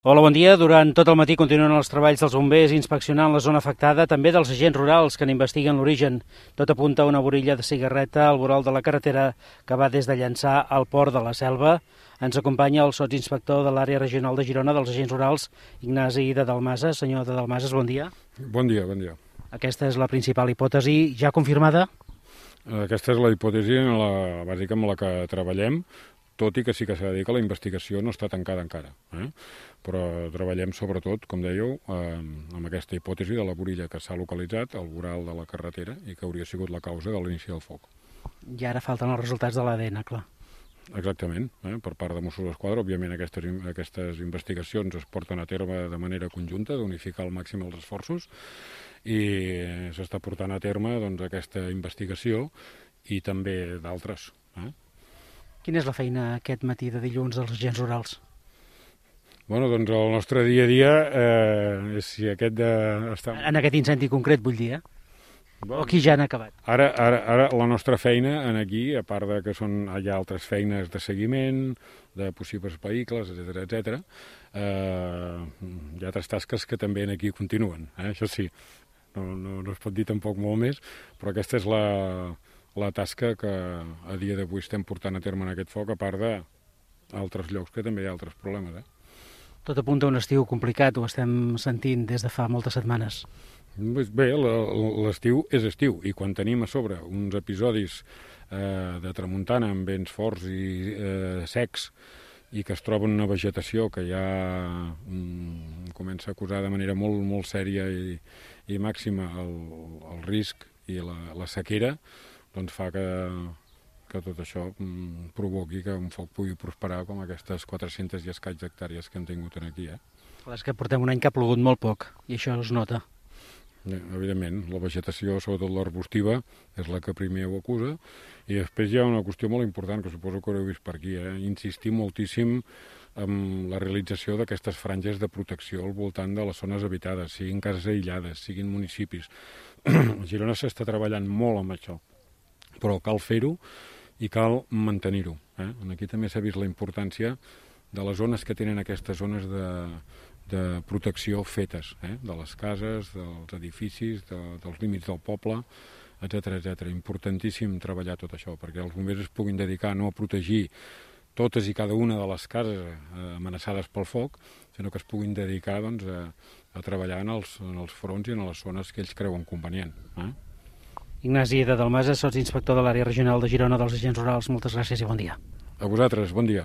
Hola, bon dia. Durant tot el matí continuen els treballs dels bombers inspeccionant la zona afectada, també dels agents rurals que n'investiguen l'origen. Tot apunta a una borilla de cigarreta al vorol de la carretera que va des de Llançà al port de la Selva. Ens acompanya el sotsinspector de l'àrea regional de Girona dels agents rurals, Ignasi de Dalmases. Senyor de Dalmases, bon dia. Bon dia, bon dia. Aquesta és la principal hipòtesi ja confirmada? Aquesta és la hipòtesi bàsica amb la que treballem, tot i que sí que s'ha de dir que la investigació no està tancada encara. Però treballem sobretot, com dèieu, amb aquesta hipòtesi de la borilla que s'ha localitzat al voral de la carretera i que hauria sigut la causa de l'inici del foc. I ara falten els resultats de l'ADN, clar. Exactament. Per part de Mossos d'Esquadra, òbviament aquestes investigacions es porten a terme de manera conjunta, d'unificar al màxim els esforços, i s'està portant a terme aquesta investigació i també d'altres. Quina és la feina aquest matí de dilluns dels agents rurals? Bueno, doncs el nostre dia a dia és si aquest de... En aquest incendi concret, vull dir, O aquí ja han acabat? Ara la nostra feina aquí, a part de que hi ha altres feines de seguiment, de possibles vehicles, etc., hi ha altres tasques que també aquí continuen, això sí. No es pot dir tampoc molt més, però aquesta és la tasca que a dia d'avui estem portant a terme en aquest foc, a part d'altres llocs que també hi ha altres problemes. Tot apunta a un estiu complicat, ho estem sentint des de fa moltes setmanes. Bé, l'estiu és estiu, i quan tenim a sobre uns episodis de tramuntana amb vents forts i secs i que es troba una vegetació que ja comença a acusar de manera molt, molt sèria i màxima el risc i la sequera, doncs fa que tot això provoqui que un foc pugui prosperar com aquestes 400 i escaig hectàrees que hem tingut aquí. És que portem un any que ha plogut molt poc, i això es nota. Evidentment, la vegetació, sobretot l'arbustiva, és la que primer ho acusa, i després hi ha una qüestió molt important que suposo que haureu vist per aquí, insistir moltíssim en la realització d'aquestes franges de protecció al voltant de les zones habitades, siguin cases aïllades, siguin municipis. A Girona s'està treballant molt amb això, però cal fer-ho i cal mantenir-ho. Aquí també s'ha vist la importància de les zones que tenen aquestes zones de protecció fetes, de les cases, dels edificis, dels límits del poble, etc. Importantíssim treballar tot això, perquè els bombers es puguin dedicar no a protegir totes i cada una de les cases amenaçades pel foc, sinó que es puguin dedicar a treballar en els fronts i en les zones que ells creuen convenient. Ignasi de Dalmases, sotsinspector de l'àrea regional de Girona dels agents rurals, moltes gràcies i bon dia. A vosaltres, bon dia.